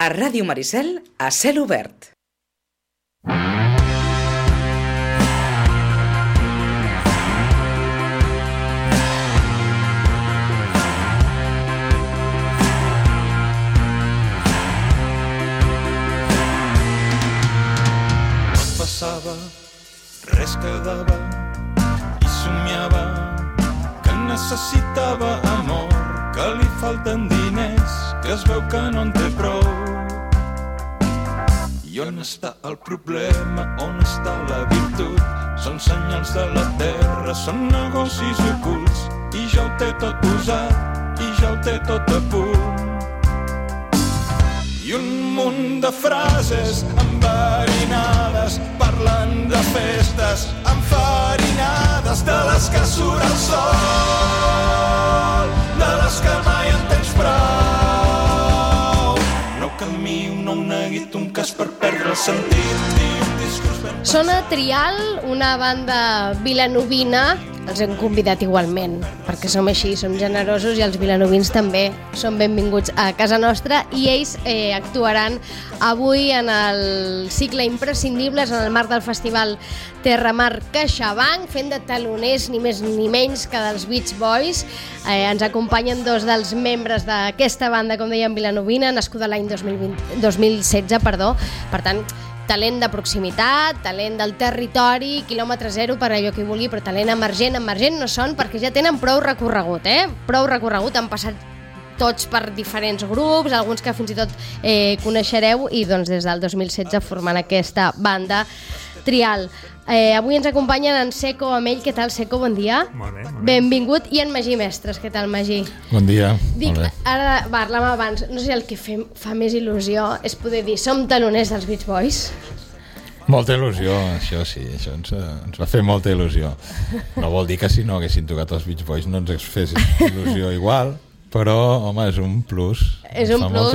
A Ràdio Maricel, a cel obert. Passava, res quedava i somiava que necessitava amor, que li falten diners, que es veu que no en té prou. I on està el problema, on està la virtut? Són senyals de la terra, són negocis ocults, i ja ho té tot usat, i ja ho té tot a punt. I un munt de frases enverinades parlen de festes enfarinades, de les que surt el sol, de les que mai en tens prou. No camí, no un neguit, un cas per perdre el sentit. Sona Trial, una banda vilanovina. Els hem convidat igualment, perquè som així, som generosos i els vilanovins també són benvinguts a casa nostra, i ells actuaran avui en el cicle Imprescindibles en el marc del festival Terramar CaixaBank, fent de taloners ni més ni menys que dels Beach Boys. Ens acompanyen dos dels membres d'aquesta banda, com dèiem, vilanovina, nascuda l'any 2016, per tant, talent de proximitat, talent del territori, quilòmetre zero per allò que hi vulgui, però talent emergent no són, perquè ja tenen prou recorregut, prou recorregut, han passat tots per diferents grups, alguns que fins i tot coneixereu, i doncs des del 2016 formant aquesta banda Trial. Avui ens acompanyen en Seco Amell. Què tal, Seco? Bon dia. Molt bé. Benvingut. I en Magí Mestres. Què tal, Magí? Bon dia. Dic, ara parlàvem abans, no sé, el que fa més il·lusió és poder dir som taloners dels Beach Boys. Molta il·lusió, això sí, això ens va fer molta il·lusió. No vol dir que si no haguessin tocat els Beach Boys no ens fes il·lusió igual, però, home, és un plus. És un plus.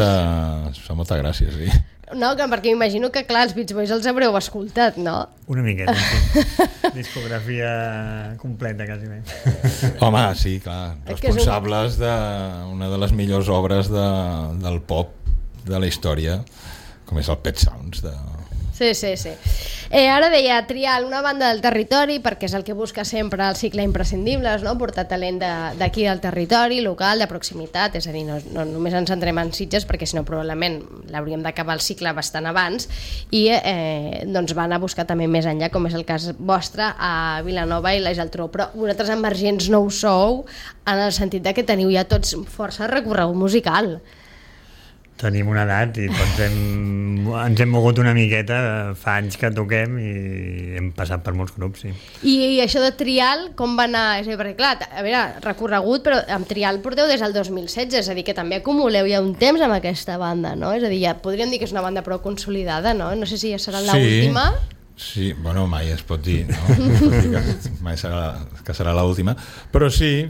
Fa molta gràcia, sí. No, perquè m'imagino que, clar, els Beach Boys els haureu escoltat, no? Una miqueta, sí. Discografia completa, quasi bé. Home, sí, clar, responsables d'una de les millors obres del pop de la història, com és el Pet Sounds. Sí. Ara deia Trial, una banda del territori, perquè és el que busca sempre el cicle Imprescindibles, no? Portar talent d'aquí del territori, local, de proximitat, és a dir, no només ens centrem en Sitges, perquè si no probablement l'hauríem d'acabar el cicle bastant abans, i doncs van a buscar també més enllà, com és el cas vostre, a Vilanova i la Geltrú. Però vosaltres emergents no ho sou, en el sentit que teniu ja tots força recorregut musical. Tenim una edat i tots ens hem mogut una miqueta, fa anys que toquem i hem passat per molts grups, sí. I això de Trial, com va anar? És a dir, perquè clar, a veure, recorregut, però amb Trial porteu des del 2016, és a dir, que també acumuleu ja un temps amb aquesta banda, no? És a dir, ja podríem dir que és una banda prou consolidada, no? No sé si ja serà l'última. Sí, bueno, mai es pot dir, no? Mai serà l'última, però sí,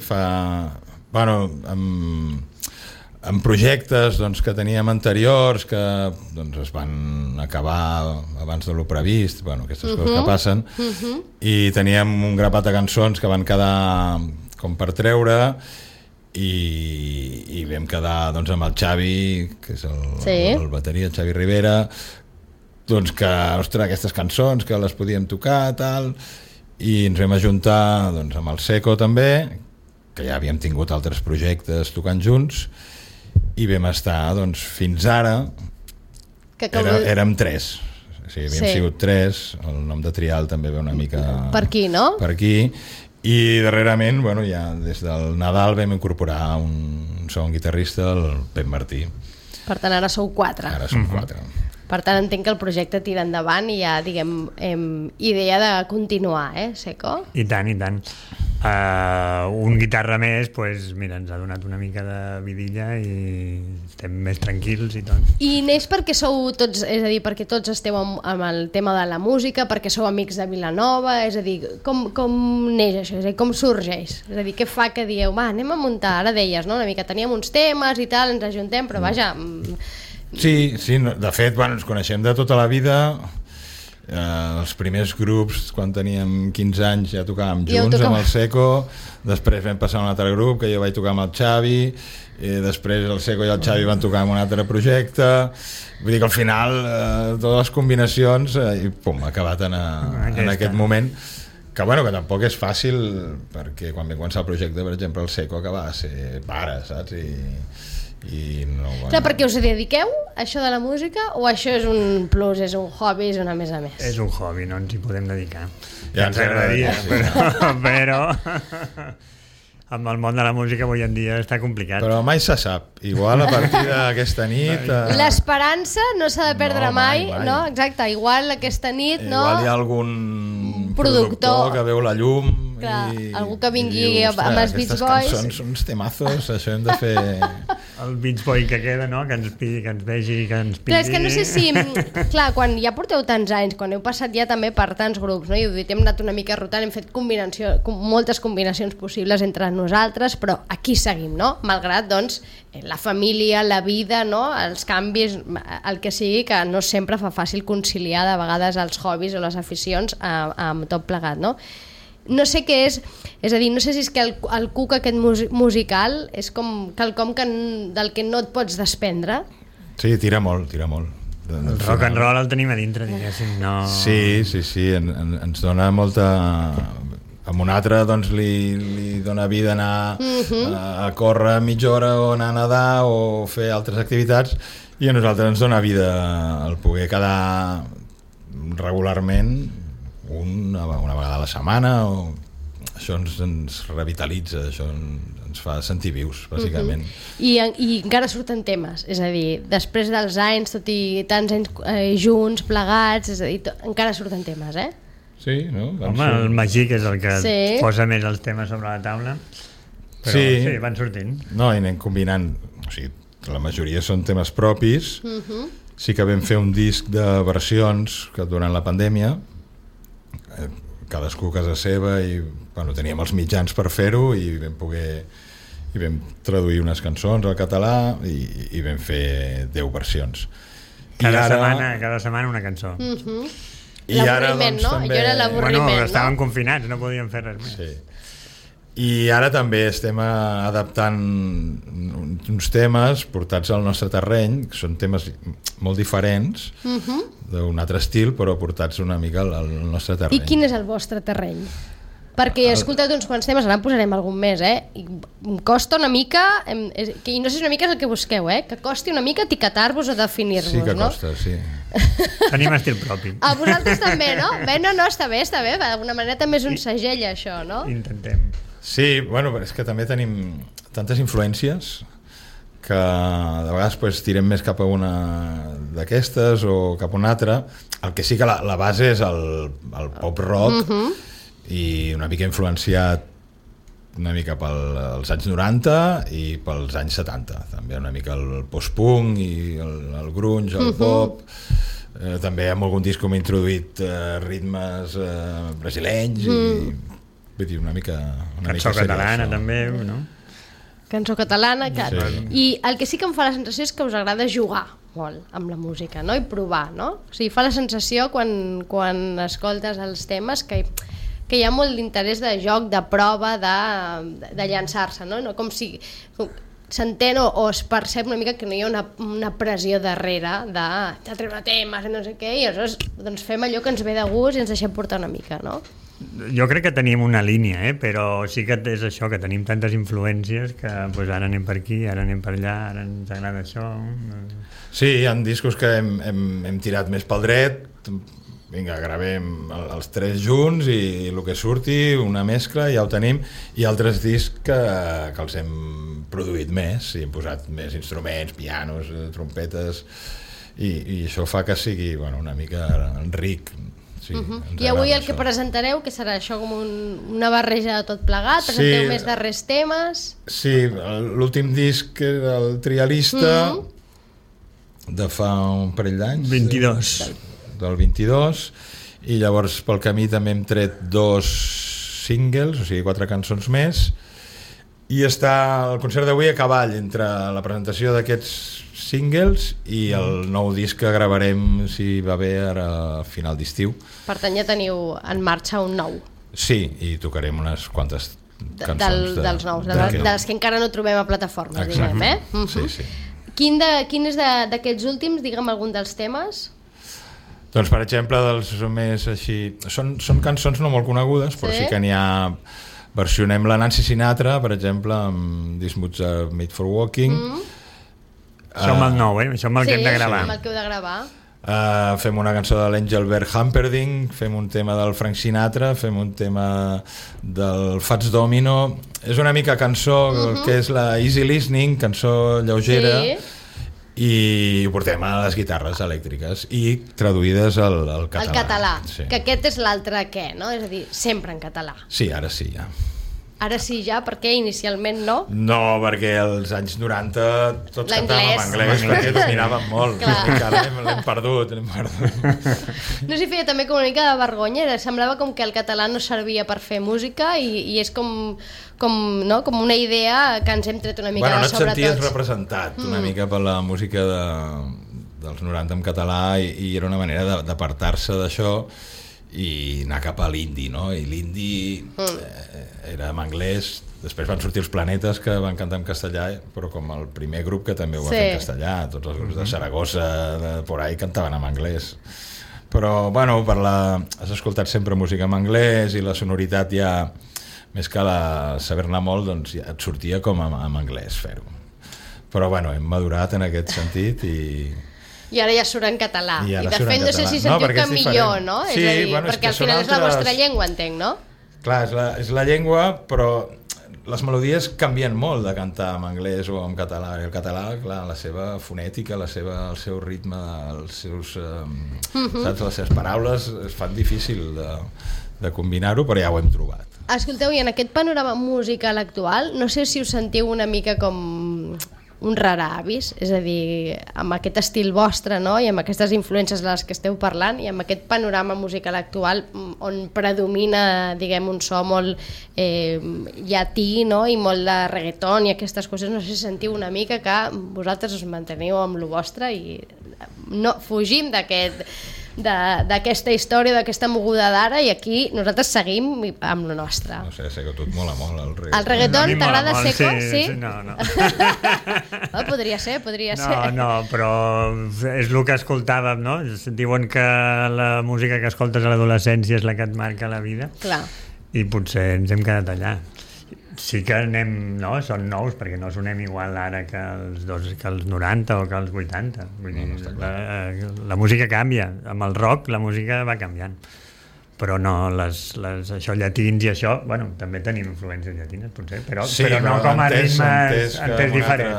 en projectes doncs, que teníem anteriors que doncs, es van acabar abans de lo previst, aquestes coses que passen, i teníem un grapat de cançons que van quedar com per treure, i vam quedar doncs, amb el Xavi, que és el bateria, el Xavi Rivera, doncs que, ostres, aquestes cançons que les podíem tocar, tal, i ens vam ajuntar doncs, amb el Seco també, que ja havíem tingut altres projectes tocant junts, i vam estar, doncs, fins ara érem 3. O sigui, havíem sigut 3, el nom de Trial també ve una mica per aquí, no? Per aquí, i darrerament, ja des del Nadal vam incorporar un segon guitarrista, el Pep Martí. Per tant, ara sou 4. Ara som 4. Per tant, entenc que el projecte tira endavant i ja, diguem, idea de continuar, Seco? I tant. Un guitarra més, doncs, mira, ens ha donat una mica de vidilla i estem més tranquils i tot. I neix perquè sou tots, és a dir, perquè tots esteu amb el tema de la música, perquè sou amics de Vilanova, és a dir, com neix això, és a dir, com sorgeix? És a dir, què fa que dieu, anem a muntar, ara deies, no? Una mica teníem uns temes i tal, ens ajuntem, però vaja... Sí, de fet, ens coneixem de tota la vida, Els primers grups, quan teníem 15 anys, ja tocàvem junts amb el Seco, després vam passar a un altre grup que jo vaig tocar amb el Xavi, i després el Seco i el Xavi van tocar en un altre projecte. Vull dir que al final totes les combinacions i pum, ha acabat en aquest moment que bueno, que tampoc és fàcil, perquè quan vam començar el projecte, per exemple, el Seco acabava de ser pare, saps? I no, bueno. Clar, perquè us dediqueu a això de la música o això és un plus, és un hobby, és una més a més? És un hobby, no ens hi podem dedicar. Ja ens agradaria, sí. però amb el món de la música avui en dia està complicat. Però mai se sap. Igual a partir d'aquesta nit... L'esperança no s'ha de perdre mai, no? Exacte, igual aquesta nit, no? Igual hi ha algun productor que veu la llum. Clar, i algú que vingui diu, amb els Beach Boys. Aquestes cançons són uns temazos, això hem de fer... El Beach Boy que queda, no? Que ens vegi, que ens pidi... Clar, és que no sé si... Clar, quan ja porteu tants anys, quan heu passat ja també per tants grups, no? I hem anat una mica rotant, hem fet moltes combinacions possibles entre nosaltres, però aquí seguim, no? Malgrat, doncs, la família, la vida, no? Els canvis, el que sigui, que no sempre fa fàcil conciliar de vegades els hobbies o les aficions amb tot plegat, no? No sé què és a dir, no sé si és que el cuc aquest musical és com quelcom del que no et pots desprendre. Sí, tira molt. El rock and roll el tenim a dintre, diguéssim, no... Sí, ens dona molta... Amb un altre doncs li dona vida anar a córrer mitja hora o anar a nedar o fer altres activitats, i a nosaltres ens dona vida el poder quedar regularment una vegada a la setmana, o això ens revitalitza, això ens fa sentir vius, bàsicament. I encara surten temes, és a dir, després dels anys, tot i tants anys junts, plegats, és a dir, encara surten temes, eh? Sí, no? Home, el Magí, que és el que posa més els temes sobre la taula, però sí, van sortint. No, i anem combinant, o sigui, la majoria són temes propis. Sí que vam fer un disc de versions que durant la pandèmia, cadascú a casa seva, i bueno, teníem els mitjans per fer-ho, i vam traduir unes cançons al català i vam fer 10 versions. Cada setmana una cançó. I ara, l'avorriment, doncs, no? també... Jo era l'avorriment, bueno, estaven confinats, no podíem fer res més. Sí. I ara també estem adaptant uns temes portats al nostre terreny, que són temes molt diferents, d'un altre estil, però portats una mica al nostre terreny. I quin és el vostre terreny? Perquè he escoltat uns quants temes, ara en posarem algun més, I em costa una mica, i no sé si una mica és el que busqueu, que costi una mica etiquetar-vos o definir-vos, no? Sí que no? costa, sí. Tenim estil propi. A vosaltres també, no? Bé, no, està bé, d'alguna manera també és un segell, això, no? Intentem. Sí, bueno, però és que també tenim tantes influències que de vegades pues, tirem més cap a una d'aquestes o cap a una altra. El que sí que la base és el pop rock, i una mica influenciat una mica pels anys 90 i pels anys 70, també una mica el post-punk i el grunge, el pop. També amb algun disc com he introduït ritmes brasilenys i vull dir, una mica cançó catalana també, no? Cançó catalana, clar. Sí. I el que sí que em fa la sensació és que us agrada jugar molt amb la música, no? I provar, no? O sigui, fa la sensació quan escoltes els temes que hi ha molt d'interès de joc, de prova, de llançar-se, no? Com si s'entén o es percep una mica que no hi ha una pressió darrere de treure temes i no sé què, i aleshores doncs fem allò que ens ve de gust i ens deixem portar una mica, no? Jo crec que tenim una línia, però sí que és això, que tenim tantes influències que pues, ara anem per aquí, ara anem per allà, ara ens agrada això. Sí, hi ha discos que hem tirat més pel dret, vinga, gravem els tres junts i el que surti, una mescla, ja ho tenim, i altres discs que els hem produït més, i hem posat més instruments, pianos, trompetes, i això fa que sigui una mica ric. Sí, i avui el que presentareu, que serà això com una barreja de tot plegat, presenteu més darrers temes. Sí, l'últim disc era el Trialista, de fa un parell d'anys, 22 del 22, i llavors pel camí també hem tret 2 singles, o sigui 4 cançons més, i està el concert d'avui a cavall entre la presentació d'aquests singles i el nou disc que gravarem, si va bé, ara a final d'estiu. Per tant, ja teniu en marxa un nou. Sí, i tocarem unes quantes cançons dels nous, de les que encara no trobem a plataformes. Exacte. Diguem, Sí, sí. Quin és d'aquests últims, digue'm algun dels temes? Doncs, per exemple, dels més així... Són cançons no molt conegudes, però sí que n'hi ha... Versionem la Nancy Sinatra, per exemple, amb These Moods Are Made for Walking. Això amb el nou, això amb el que hem de gravar. Sí, amb el que heu de gravar. Fem una cançó de l'Engelbert Humperdinck, fem un tema del Frank Sinatra, fem un tema del Fats Domino. És una mica cançó que és la easy listening, cançó lleugera, i ho portem a les guitarres elèctriques i traduïdes al català. Al català, sí. Que aquest és l'altre què, no? És a dir, sempre en català. Sí, ara sí, ja. Ara sí ja, perquè inicialment no? No, perquè als anys 90 tots cantàvem en anglès, L'anglès. perquè dominàvem molt. Ara l'hem perdut. No s'hi feia també com una mica de vergonya, semblava com que el català no servia per fer música i és com una idea que ens hem tret una mica de sobre tots. No et senties representat una mica per la música dels 90 en català i era una manera d'apartar-se d'això i anar cap a l'indi, no? I l'indi era en anglès. Després van sortir els Planetes, que van cantar en castellà, però com el primer grup que també ho va fer en castellà. Tots els grups de Saragossa, de por ahí, cantaven en anglès. Però, bueno, has escoltat sempre música en anglès i la sonoritat ja, més que saber-ne molt, doncs ja et sortia com en anglès fer-ho. Però, bueno, hem madurat en aquest sentit i ara ja surt en català. I de fet, no sé si sentiu que millor, no? Sí, és a dir, bueno, perquè al final és la vostra llengua, entenc, no? Clar, és la llengua, però les melodies canvien molt de cantar en anglès o en català. El català, clar, la seva fonètica, el seu ritme, els seus, saps, les seves paraules es fan difícil de combinar-ho, però ja ho hem trobat. Escolteu, i en aquest panorama musical actual, no sé si us sentiu una mica com un raravis, és a dir, amb aquest estil vostre, no? I amb aquestes influències de les que esteu parlant i amb aquest panorama musical actual on predomina, diguem, un so molt llatí, no? I molt de reggaeton i aquestes coses, no sé si sentiu una mica que vosaltres us manteniu amb lo vostre i no fugim d'aquesta història, d'aquesta moguda d'ara, i aquí nosaltres seguim amb lo nostre. No sé que a tu et mola molt el reggaeton. El reggaeton t'agrada seco? Sí? No. Podria ser. No, però és el que escoltàvem, no? Diuen que la música que escoltes a l'adolescència és la que et marca la vida. Clar. I potser ens hem quedat allà. Sí que són nous, perquè no sonem igual ara que els 90 o que els 80. Vull dir, la música canvia. Amb el rock la música va canviant. Però no, això llatins i això, bueno, també tenim influències llatines, potser, però no com a ritmes entès diferent.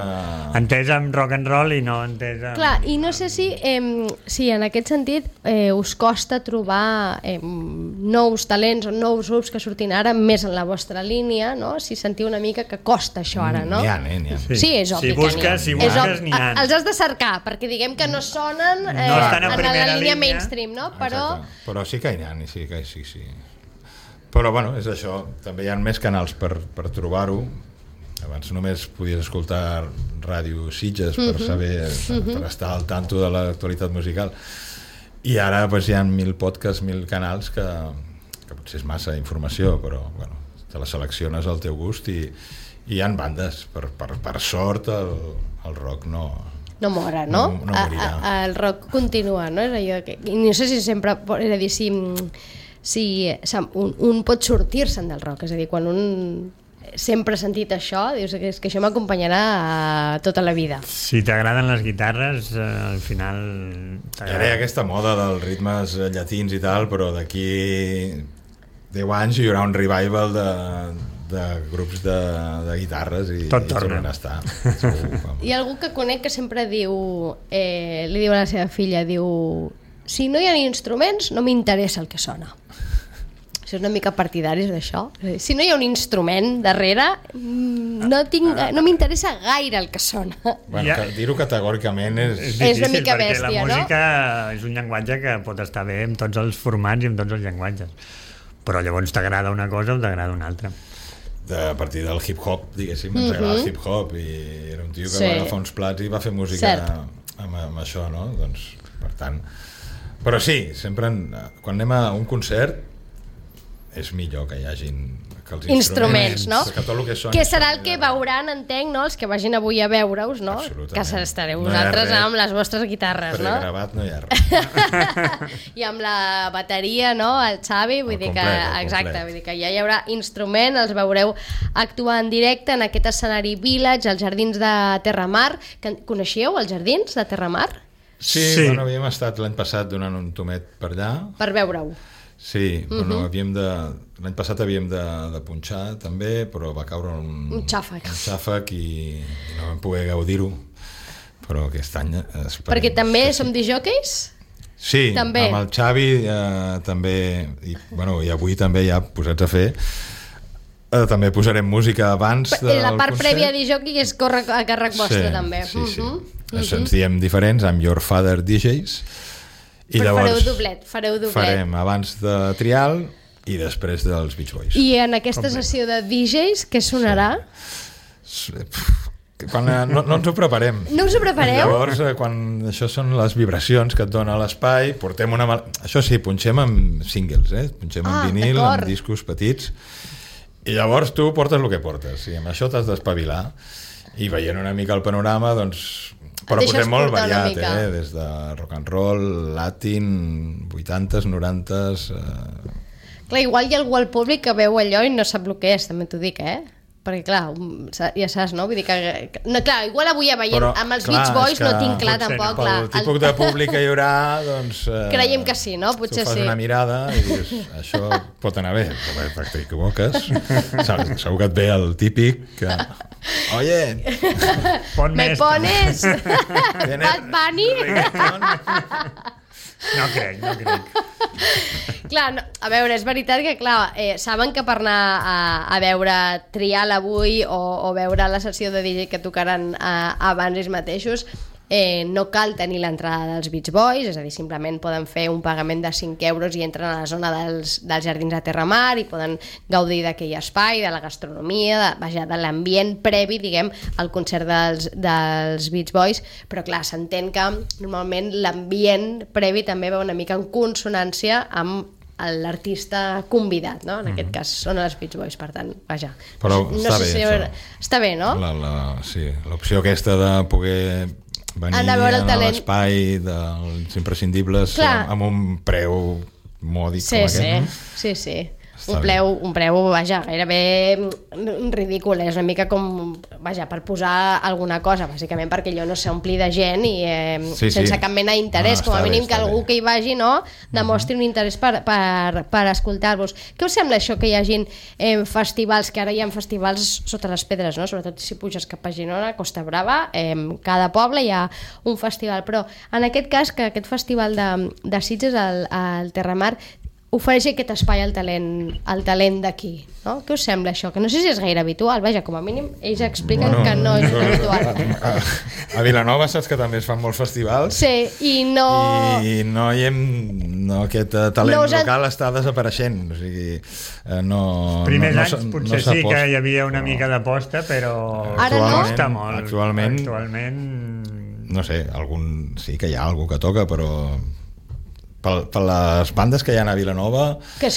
Entès amb rock and roll i no entès amb... Clar, i no sé si en aquest sentit us costa trobar nous talents o nous grups que surtin ara més en la vostra línia, no? Si sentiu una mica que costa això ara, no? N'hi ha. Sí, és obvi que n'hi ha. Si busques, n'hi ha. Els has de cercar, perquè diguem que no sonen en la línia mainstream, no? Però sí que n'hi ha, sí. Però bueno, és això, també hi ha més canals per trobar-ho. Abans només podies escoltar Ràdio Sitges per saber, per estar al tanto de l'actualitat musical, i ara hi ha 1.000 podcasts, 1.000 canals que potser és massa informació, però bueno, te la selecciones al teu gust i hi ha bandes, per sort el rock no mora, no? No morirà. El rock continua, no? És allò que, no sé si sempre, és a dir, si un pot sortir-se'n del rock, és a dir, quan un sempre ha sentit això, dius que això m'acompanyarà tota la vida. Si t'agraden les guitarres, al final... Ara hi ha aquesta moda dels ritmes llatins i tal, però d'aquí 10 anys hi haurà un revival de grups de guitarres i tornen a estar. Hi ha algú que conec que sempre diu, li diu a la seva filla, diu, si no hi ha instruments no m'interessa el que sona. Si és una mica partidaris d'això. Si no hi ha un instrument darrere, no m'interessa gaire el que sona. Bueno, dir-ho categòricament és difícil, una mica bèstia, no? La música és un llenguatge que pot estar bé en tots els formats i en tots els llenguatges. Però llavors t'agrada una cosa o t'agrada una altra. a partir del hip-hop, diguéssim, ens agrada el hip-hop, i era un tio que va agafar uns plats i va fer música amb això, no? Doncs, per tant... Però sí, sempre quan anem a un concert és millor que hi hagin que els instruments, no? Que tot el que són... Que serà el que veuran, entenc, no? Els que vagin avui a veure-us, no? Que estareu vosaltres amb les vostres guitarres, no? Pregravat no hi ha res. I amb la bateria, no? El Xavi, vull dir que... Exacte, vull dir que ja hi haurà instrument, els veureu actuar en directe en aquest escenari Village, als Jardins de Terramar. Coneixíeu els Jardins de Terramar? Sí, bueno, havíem estat l'any passat donant un tomet per allà. Per veure-ho. Sí, bueno, l'any passat havíem de punxar també, però va caure un xàfec i no vam poder gaudir-ho, però aquest any esperem. Perquè també som disjòqueis? Sí, també. Amb el Xavi també, i avui també ja posats a fer, també posarem música abans del concert. La part prèvia de disjòquei és a càrrec vostre també. Sí. Ens diem diferents, amb Your Father DJs. I però llavors fareu doblet. Farem abans de Trial i després dels Beach Boys. I en aquesta sessió de DJs, què sonarà? Quan no ens ho preparem. No us ho prepareu? Llavors, quan això són les vibracions que et dona l'espai, portem una... Això sí, punxem amb singles, punxem amb vinil, amb discos petits, i llavors tu portes el que portes, i amb això t'has d'espavilar, i veient una mica el panorama, doncs... Però posem molt variat, des de rock and roll, latin, 80s, 90s... Clar, igual hi ha algú al públic que veu allò i no sap el que és, també t'ho dic, Perquè, clar, ja saps, no? Vull dir que... No, clar, igual avui ja veient, però, amb els Beach Boys no tinc clar tampoc, clar. Pel tipus de públic que hi haurà, doncs... Creiem que sí, no? Potser sí. Tu fas una mirada i dius, això pot anar bé, però t'equivoques. Segur que et ve el típic que... Oye, ¿me pones Bad Bunny? No crec. Clar, no, a veure, és veritat que saben que per anar a veure Trial avui o veure la sessió de DJ que tocaran abans ells mateixos, no cal tenir l'entrada dels Beach Boys, és a dir, simplement poden fer un pagament de 5 euros i entren a la zona dels Jardins de Terramar i poden gaudir d'aquell espai, de la gastronomia, de l'ambient previ, diguem, al concert dels Beach Boys, però clar, s'entén que normalment l'ambient previ també va una mica en consonància amb l'artista convidat, no? En aquest cas són els Beach Boys, per tant, vaja. Però està bé, no? Sí, l'opció aquesta de poder venir a l'espai dels imprescindibles amb un preu mòdic com aquest, no? Sí. Un preu, vaja, gairebé ridícul, és una mica com, vaja, per posar alguna cosa, bàsicament perquè allò no s'ompli de gent i sense cap mena d'interès, com a mínim que algú que hi vagi, no, demostri un interès per escoltar-vos. Què us sembla això que hi hagin festivals, que ara hi ha festivals sota les pedres, no? Sobretot si puges cap a Girona, Costa Brava, cada poble hi ha un festival, però en aquest cas, que aquest festival de Sitges, al Terramar, ofereix aquest espai al talent d'aquí, no? Què us sembla això? Que no sé si és gaire habitual, vaja, com a mínim ells expliquen que no és habitual. A Vilanova saps que també es fan molts festivals, i no aquest talent local està desapareixent, o sigui, primers anys potser sí que hi havia una mica d'aposta, però ara costa molt. Actualment no sé, sí que hi ha algú que toca, però per les bandes que hi ha a Vilanova que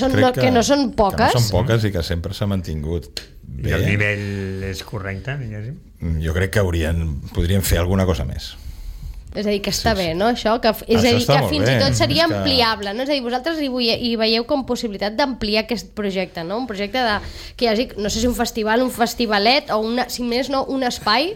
no són poques i que sempre s'ha mantingut bé. I el nivell és correcte, diguéssim. Jo crec que podrien fer alguna cosa més. És a dir, que està bé, no, això? És a dir, que fins i tot seria ampliable, no? És a dir, vosaltres hi veieu com possibilitat d'ampliar aquest projecte, no? Un projecte que hi hagi, no sé si un festival, un festivalet o si més no, un espai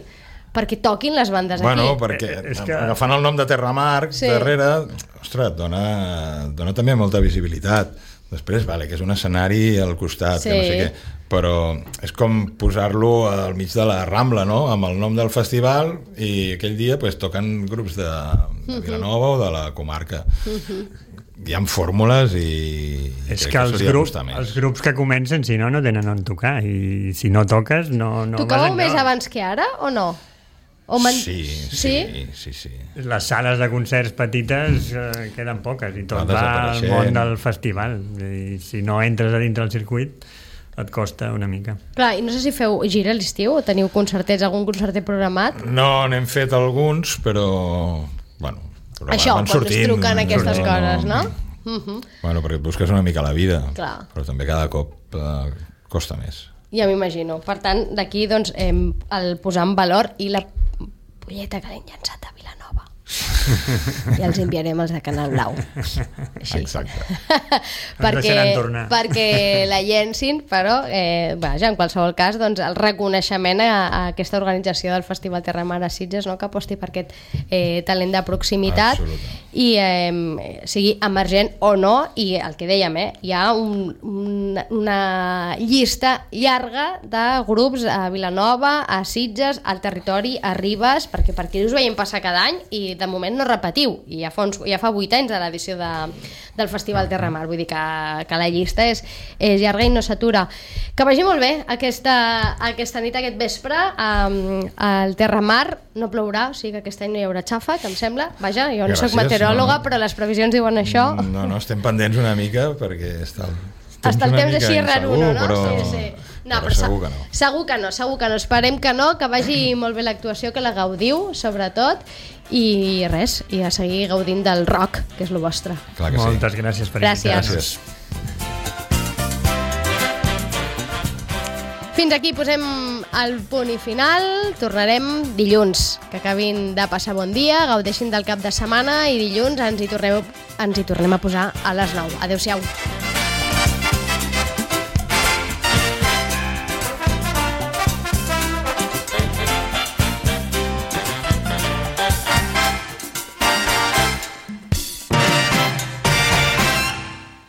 perquè toquin les bandes aquí. Bueno, perquè agafant el nom de Terramar darrere, ostres, dona també molta visibilitat. Després, que és un escenari al costat, que no sé què, però és com posar-lo al mig de la Rambla, no? Amb el nom del festival, i aquell dia toquen grups de Vilanova o de la comarca. Hi ha fórmules i és que els grups que comencen, si no tenen on tocar, i si no toques no tocàveu més abans que ara o no? Sí. Les sales de concerts petites queden poques i tot va al món del festival, i si no entres a dintre del circuit et costa una mica. Clar, i no sé si feu gira a l'estiu o teniu concertets, algun concertet programat? No, n'hem fet alguns, però... Bueno, això, quan us truquen aquestes coses, no? Bueno, perquè et busques una mica la vida, clar. Però també cada cop costa més. Ja m'imagino. Per tant, d'aquí doncs, el posar en valor i la polleta que l'hem llançat a Vilanova. I els enviarem els de Canal Blau. Així. Exacte. perquè la llencin, però vaja, en qualsevol cas, doncs, el reconeixement a aquesta organització del Festival Terra Mar a Sitges, no? Que aposti per aquest talent de proximitat i sigui emergent o no, i el que dèiem, hi ha una llista llarga de grups a Vilanova, a Sitges, al territori, a Ribes, perquè per aquí us veiem passar cada any i de moment no repetiu, i ja fa 8 anys de l'edició del Festival Terra Mar, vull dir que la llista és llarga i no s'atura. Que vagi molt bé aquesta nit, aquest vespre al Terra Mar. No plourà, o sigui que aquest any no hi haurà xafa, que em sembla. Vaja, jo no soc meteoròloga, però les previsions diuen això. No, estem pendents una mica perquè està el temps així raruno, no? Però... Sí. No, però segur que no. Segur que no. Esperem que no, que vagi molt bé l'actuació, que la gaudiu, sobretot, i res, i a seguir gaudint del rock, que és el vostre. Clar que sí. Moltes gràcies per invitar-nos. Fins aquí posem el punt i final. Tornarem dilluns. Que acabin de passar bon dia, gaudeixin del cap de setmana i dilluns ens hi tornem a posar a les 9. Adéu-siau.